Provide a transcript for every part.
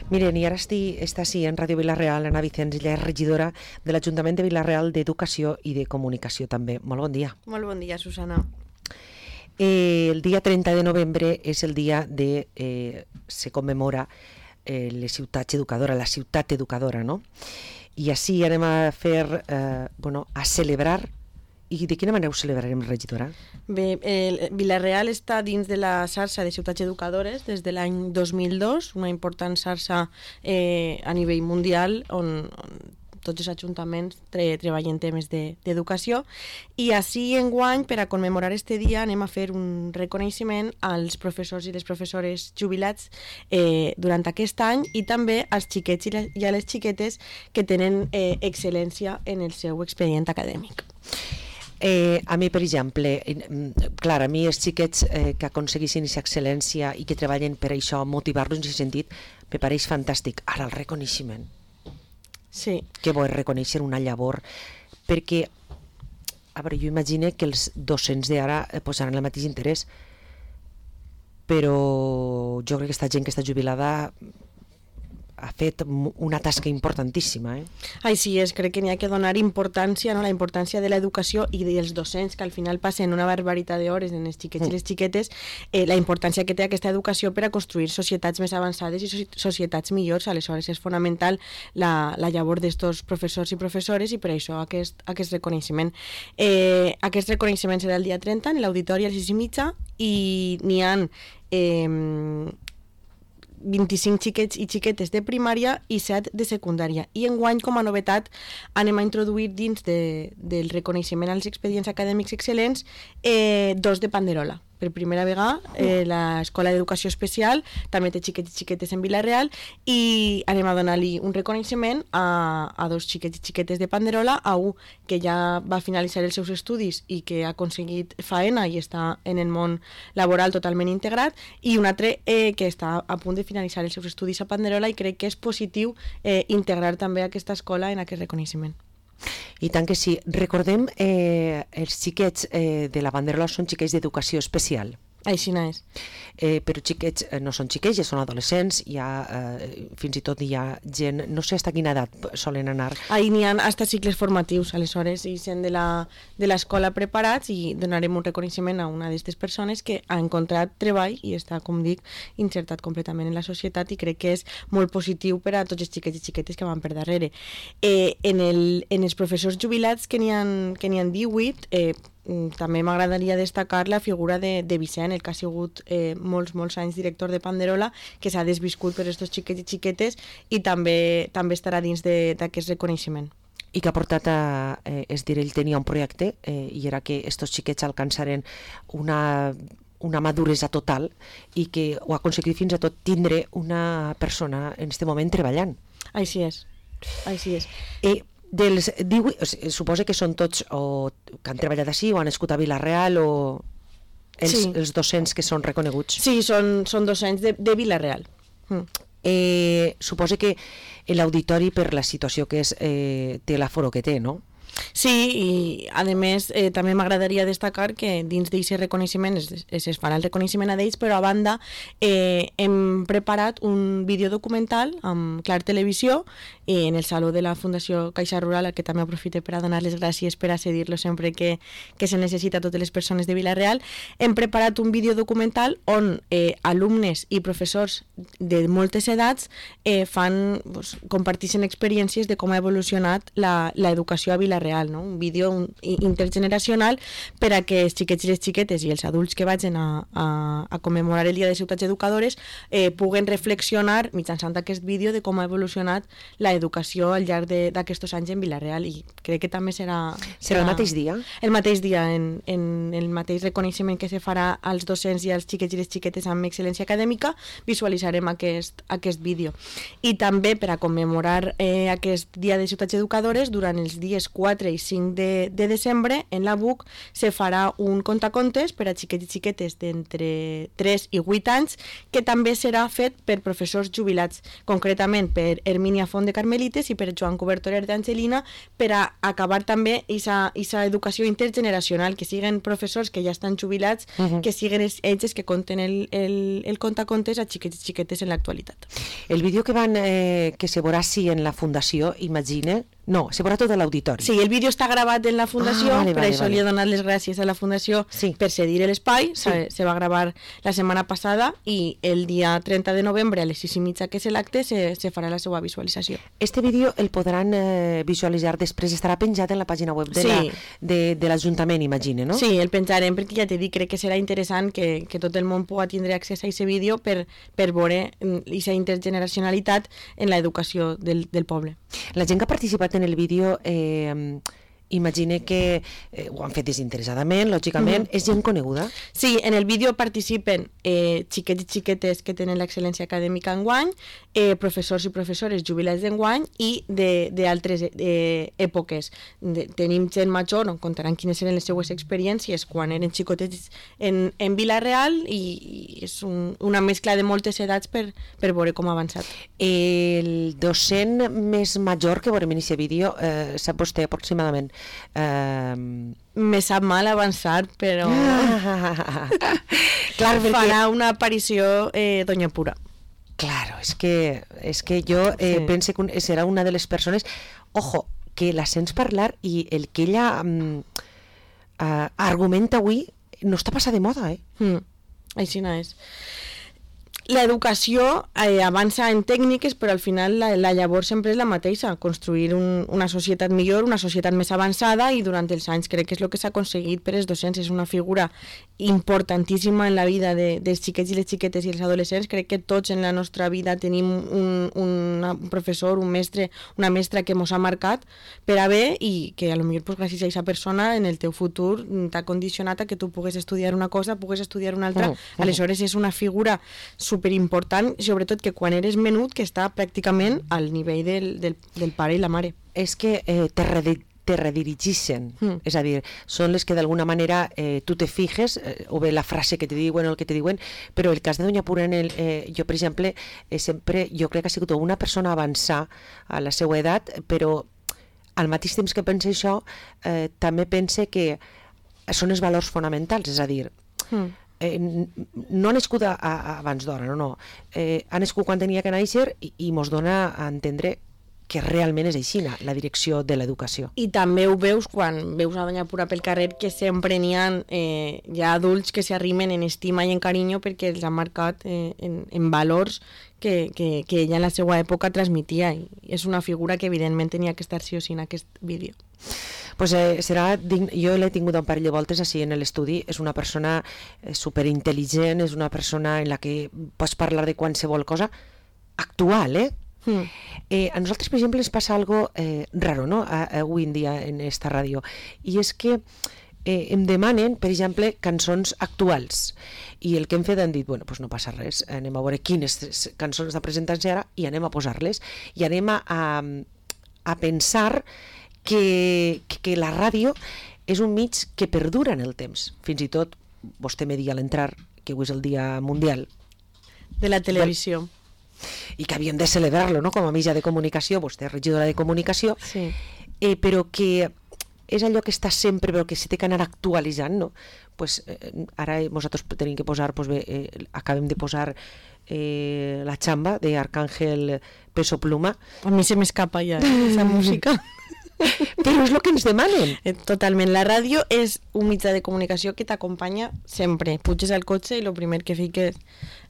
Miren, i ara està així en Ràdio Vila-real, Ana Vicenç, ella és regidora de l'Ajuntament de Vila-real d'Educació i de Comunicació també. Molt bon dia. Molt bon dia, Susana. El dia 30 de novembre és el dia de... se commemora les ciutats educadores, la ciutat educadora, no? I així anem a fer, a celebrar. I de quina manera ho celebrarem, regidora? Bé, Vila-real està dins de la xarxa de ciutats educadores des de l'any 2002, una important xarxa a nivell mundial on tots els ajuntaments treballen temes d'educació, i així enguany, per a commemorar este dia, anem a fer un reconeixement als professors i les professores jubilats durant aquest any, i també als xiquets i a les xiquetes que tenen excel·lència en el seu expedient acadèmic. A mi, per exemple, clar, a mi els xiquets que aconseguissin aquesta excel·lència i que treballen per això, motivar-los en aquest sentit, me pareix fantàstic. Ara, el reconeixement. Sí. Que bo és reconèixer una llavor, perquè, a veure, jo imagino que els docents d'ara posaran el mateix interès, però jo crec que aquesta gent que està jubilada ha fet una tasca importantíssima. Ai, sí, crec que n'hi ha que donar importància, no? La importància de l'educació i dels docents, que al final passen una barbaritat d'hores en els xiquets i les xiquetes, la importància que té aquesta educació per a construir societats més avançades i societats millors. Aleshores és fonamental la llavor d'estos professors i professores, i per això aquest reconeixement. Aquest reconeixement serà el dia 30 en l'auditori a les 6:30, i n'hi ha 25 xiquets i xiquetes de primària i 7 de secundària. I enguany, com a novetat, anem a introduir dins del reconeixement als expedients acadèmics excel·lents 2 de panderola. Per primera vegada, l'Escola d'Educació Especial també té xiquets i xiquetes en Vila-real, i anem a donar-li un reconeixement a 2 xiquets i xiquetes de panderola, a un que ja va finalitzar els seus estudis i que ha aconseguit faena i està en el món laboral totalment integrat, i un altre que està a punt de finalitzar els seus estudis a Panderola, i crec que és positiu integrar també aquesta escola en aquest reconeixement. I tant que sí. Recordem, els xiquets de la Panderola són xiquets d'educació especial. Així no és. Però xiquets no són xiquets, ja són adolescents, fins i tot hi ha gent, no sé fins quina edat solen anar. N'hi ha fins cicles formatius, aleshores, i sent de l'escola preparats, i donarem un reconeixement a una d'aquestes persones que ha encontrat treball i està, com dic, insertat completament en la societat, i crec que és molt positiu per a tots els xiquets i xiquetes que van per darrere. En els professors jubilats, que n'hi ha 18, també m'agradaria destacar la figura de Vicent, el que ha sigut molts anys director de Panderola, que s'ha desviscut per aquests xiquets i xiquetes, i també estarà dins d'aquest reconeixement. I que ha portat ell tenia un projecte, i era que aquests xiquets alcançaren una maduresa total, i que ho ha aconseguit fins a tot tindre una persona en aquest moment treballant. Així és. Dels 18, suposa que són tots que han treballat així o han nascut a Vila-real, o els docents que són reconeguts? Sí, són docents de Vila-real. Suposa que l'auditori, per la situació que és, té l'aforo que té, no? Sí, i a més també m'agradaria destacar que dins d'aquest reconeixement es farà el reconeixement a d'ells, però a banda hem preparat un videodocumental amb Clar Televisió en el Saló de la Fundació Caixa Rural, al que també aprofite per a donar les gràcies per a cedir-lo sempre que se necessita a totes les persones de Vila-real. Hem preparat un videodocumental on alumnes i professors de moltes edats comparteixen experiències de com ha evolucionat l'educació a Vila-real, no? Un vídeo intergeneracional per a que els xiquets i les xiquetes i els adults que vagin a commemorar el Dia de Ciutats Educadores puguen reflexionar mitjançant aquest vídeo de com ha evolucionat l'educació al llarg d'aquests anys en Vila-real, i crec que també serà el mateix dia? El mateix dia, en el mateix reconeixement que se farà als docents i als xiquets i les xiquetes amb excel·lència acadèmica, visualitzarem aquest vídeo. I també per a commemorar aquest Dia de Ciutats Educadores, durant els dies 4 4 i 5 de desembre, en la BUC, se farà un contacontes per a xiquets i xiquetes d'entre 3 i 8 anys, que també serà fet per professors jubilats, concretament per Hermínia Font de Carmelites i per Joan Cobertorer d'Angelina, per a acabar també aquesta educació intergeneracional, que siguen professors que ja estan jubilats, que siguen ells que conten el contacontes a xiquets i xiquetes en l'actualitat. El vídeo que se veurà en la fundació, imagina... No, se veurà tot a l'auditori. Sí, el vídeo està gravat en la fundació, per això li he donat les gràcies a la fundació per cedir l'espai. Se va gravar la setmana passada i el dia 30 de novembre a les 6:30, que és l'acte, se farà la seva visualització. Este vídeo el podran visualitzar després, estarà penjat en la pàgina web de l'Ajuntament, imagina, no? Sí, el penjarem perquè ja t'he dit, crec que serà interessant que tot el món pugui tindre accés a aquest vídeo per veure aquesta intergeneracionalitat en l'educació del poble. La gent que ha participat en el vídeo, imagine que ho han fet desinteressadament, lògicament, és gent coneguda? Sí, en el vídeo participen xiquets i xiquetes que tenen l'excel·lència acadèmica enguany, professors i professores jubilats d'enguany i d'altres èpoques. Tenim gent major, on contaran quines eren les seues experiències quan eren xicotets en Vila-real, i és una mescla de moltes edats per veure com ha avançat. El docent més major que veurem en aquest vídeo, sap vostè aproximadament? Me sap mal avançar, però farà una aparició Doña Pura. Claro, es que jo penso que serà una de les persones, ojo, que la sents parlar i el que ella argumenta avui no està passat de moda, Així no és. L'educació avança en tècniques, però al final la llavor sempre és la mateixa, construir una societat millor, una societat més avançada, i durant els anys crec que és el que s'ha aconseguit per els docents. És una figura importantíssima en la vida dels xiquets i les xiquetes i els adolescents. Crec que tots en la nostra vida tenim un professor, un mestre, una mestra que ens ha marcat per a bé, i que potser gràcies a aquesta persona en el teu futur t'ha condicionat a que tu pugues estudiar una cosa, pugues estudiar una altra. Aleshores és una figura superimportant, sobretot que quan eres menut, que està pràcticament al nivell del pare i la mare. És que te redirigeixen, és a dir, són les que d'alguna manera tu te fijes, o bé la frase que te diuen o el que te diuen, però el cas de Doña Pura, jo per exemple, sempre, jo crec que ha sigut una persona avançar a la seva edat, però al mateix temps que pensa això, també pensa que són els valors fonamentals, és a dir, no ha nascut abans d'hora, no. Ha nascut quan tenia que néixer i mos dona a entendre que realment és així la direcció de l'educació. I també ho veus quan veus a Doña Pura pel carrer, que sempre n'hi ha ja adults que s'arrimen en estima i en carinyo perquè els ha marcat en valors que ella en la seva època transmitia, i és una figura que evidentment tenia que estar sí o sí en aquest vídeo. Pues jo l'he tingut un parell de voltes així en l'estudi. És una persona superintel·ligent, és una persona en la que pots parlar de qualsevol cosa actual, a nosaltres, per exemple, ens passa algo raro, no?, avui en dia en esta ràdio, i és que em demanen, per exemple, cançons actuals, i el que hem fet han dit, bueno, doncs no passa res, anem a veure quines cançons estan presentant-se ara i anem a posar-les, i anem a pensar que la ràdio és un mig que perdura en el temps. Fins i tot, vostè me dia a l'entrar que avui és el Dia Mundial de la Televisió, i que havíem de celebrar-lo, no?, com a mitjà de comunicació, vostè és regidora de comunicació, sí. Però que és allò que està sempre, però que s'ha d'anar actualitzant, no? Pues, ara nosaltres tenim que posar, pues bé, acabem de posar La Chamba d'Arcángel Peso Pluma. A mi se m'escapa ja aquesta música. Però és el que ens demanen. Totalment. La ràdio és un mitjà de comunicació que t'acompanya sempre. Puges al cotxe i el primer que fiques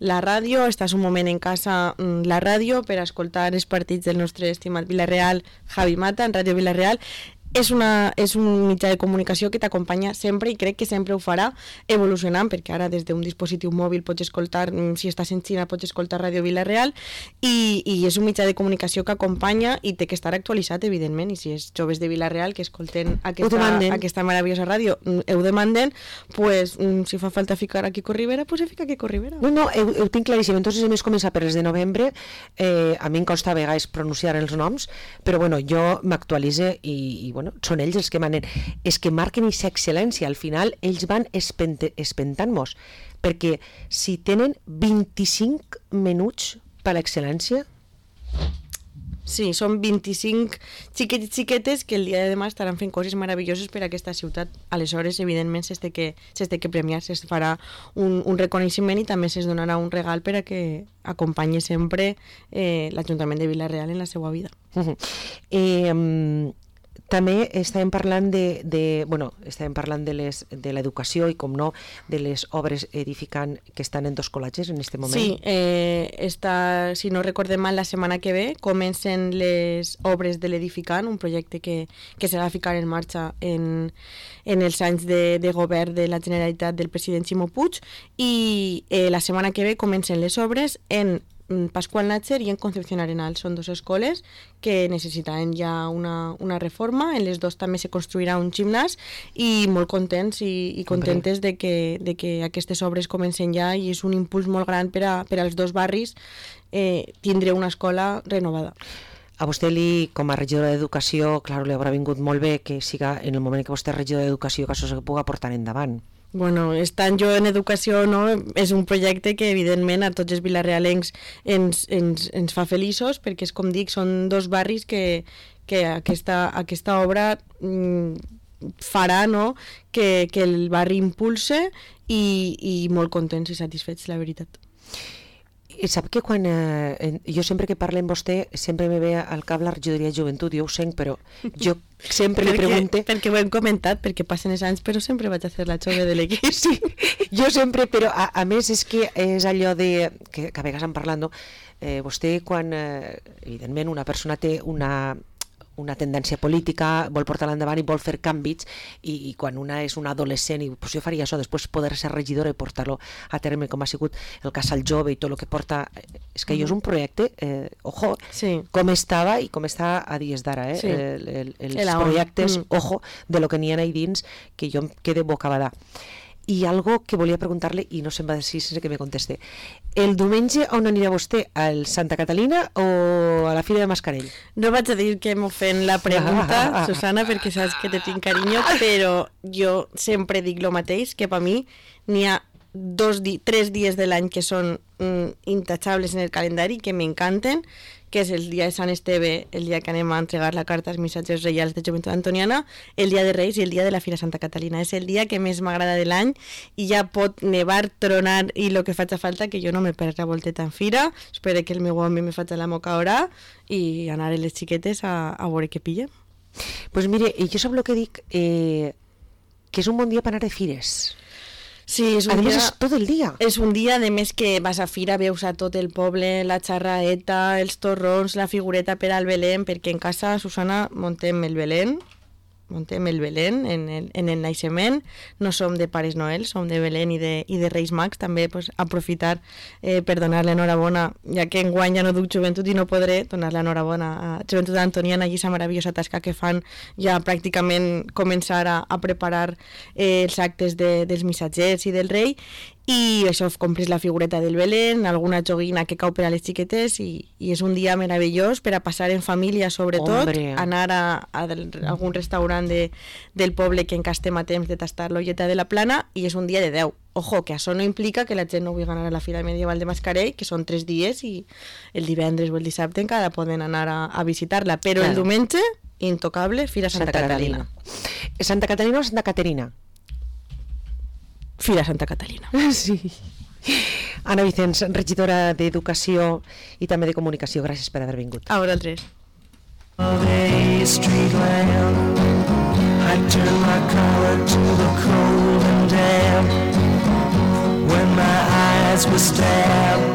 la ràdio, estàs un moment en casa la ràdio per escoltar els partits del nostre estimat Vila-real, Javi Mata, en Ràdio Vila-real. És un mitjà de comunicació que t'acompanya sempre, i crec que sempre ho farà, evolucionant, perquè ara des d'un dispositiu mòbil pots escoltar, si estàs en Xina pots escoltar Ràdio Vila-real, i és un mitjà de comunicació que acompanya i té que estar actualitzat, evidentment, i si és joves de Vila-real que escolten aquesta meravellosa ràdio, ho demanden, pues, si fa falta ficar a Quico Rivera, pues se fica a Quico Rivera. No, ho tinc claríssim. Entonces hem començat per els de novembre, a mi em costa a vegades pronunciar els noms, però bueno, jo m'actualitze i bueno, són ells els que manen, és que marquen aquesta excel·lència, al final ells van espentant-nos, perquè si tenen 25 minuts per l'excel·lència. Sí, són 25 xiquets i xiquetes que el dia de demà estaran fent coses meravelloses per a aquesta ciutat. Aleshores, evidentment, s'és de que premiar, es farà un reconeixement i també s'es donarà un regal per a que acompanyi sempre l'Ajuntament de Vila-real en la seva vida. També estàvem parlant estàvem parlant de l'educació i, com no, de les obres edificant que estan en dos col·leges en aquest moment. Sí, si no recordem mal, la setmana que ve comencen les obres de l'edificant, un projecte que s'ha de ficar en marxa en els anys de govern de la Generalitat del president Ximo Puig, i la setmana que ve comencen les obres en Pascual Natxer i en Concepción Arenal. Són dues escoles que necessitaven ja una reforma. En les dues també se construirà un gimnàs, i molt contents i contentes de que aquestes obres comencen ja, i és un impuls molt gran per als dos barris tindre una escola renovada. A vostè, com a regidora d'Educació, clar, li haurà vingut molt bé que siga en el moment que vostè és regidora d'Educació que això se pugui portar endavant. Bueno, estant jo en educació, no, és un projecte que evidentment a tots els vilarealencs ens fa feliços, perquè és com dic, són dos barris que aquesta obra farà, no, que el barri impulse, i molt contents i satisfets, la veritat. Sap que quan jo sempre que parlo amb vostè sempre me ve al cap la regidoria de joventut, jo ho sent, però jo sempre li pregunto... Perquè ho hem comentat, perquè passen els anys, però sempre vaig a fer la jove de l'equip. Sí, jo sempre, però a més és que és allò de... que a vegades en parlant, no? Vostè, quan evidentment una persona té una tendència política, vol portar-la endavant i vol fer canvis, i quan una és una adolescent i pues jo faria això, després poder ser regidora i portar-lo a terme, com ha sigut el Casal Jove i tot el que porta, és que jo és un projecte, ojo, sí, com estava i com està a dies d'ara, sí, els projectes, ojo, de lo que n'hi ha ahí dins, que jo em quede bocabadà. I algo que volia preguntar-li i no se'm va dir sense que me conteste. El diumenge on anirà vostè? Al Santa Catalina o a la Fira de Mascarell? No vaig a dir que m'ho fent la pregunta, Susana, perquè saps que te tinc carinyo, però jo sempre dic lo mateix, que per mi n'hi ha 3 dies de l'any que són intachables en el calendari, que m'encanten, que és el dia de Sant Esteve, el dia que anem a entregar la carta als missatges reials de Joventut Antoniana, el dia de Reis i el dia de la Fira Santa Catalina. És el dia que més m'agrada de l'any, i ja pot nevar, tronar i el que faci falta, que jo no me perc la volteta en fira, espero que el meu home me faci la moca hora i anar a les xiquetes a veure què pilla. Pues mire, jo sap el que dic, que és un bon dia per anar de fires. Sí, és un dia, és tot el dia. És un dia, de més, que vas a fira, veus a tot el poble, la xarraeta, els torrons, la figureta per al Belén, perquè en casa, Susana, montem el Belén en el naixement. No som de Pares Noel, som de Belén i de Reis Mags. També pues, aprofitar per donar-li enhorabona, ja que enguany ja no duc joventut i no podré donar-li enhorabona a Joventut Antoniana i aquesta meravellosa tasca que fan ja pràcticament començar a preparar els actes dels missatgers i del rei. I això, compres la figureta del Belén, alguna joguina que cau per a les xiquetes, i és un dia meravellós per a passar en família, sobretot. Hombre. Anar a algun restaurant del poble que encara estem a temps de tastar l'olleta de la Plana, i és un dia de 10. Ojo, que això no implica que la gent no vulgui anar a la Fira Medieval de Mascarell, que són 3 dies, i el divendres o el dissabte encara poden anar a visitar-la, però claro, el diumenge, intocable, Fira Santa Catalina. Santa Catalina o Santa Caterina? Fira Santa Catalina. Sí. Anna Vicens, regidora d'Educació i també de Comunicació, gràcies per haver vingut. A vosaltres. I turn my collar to the cold and damp when my eyes were stabbed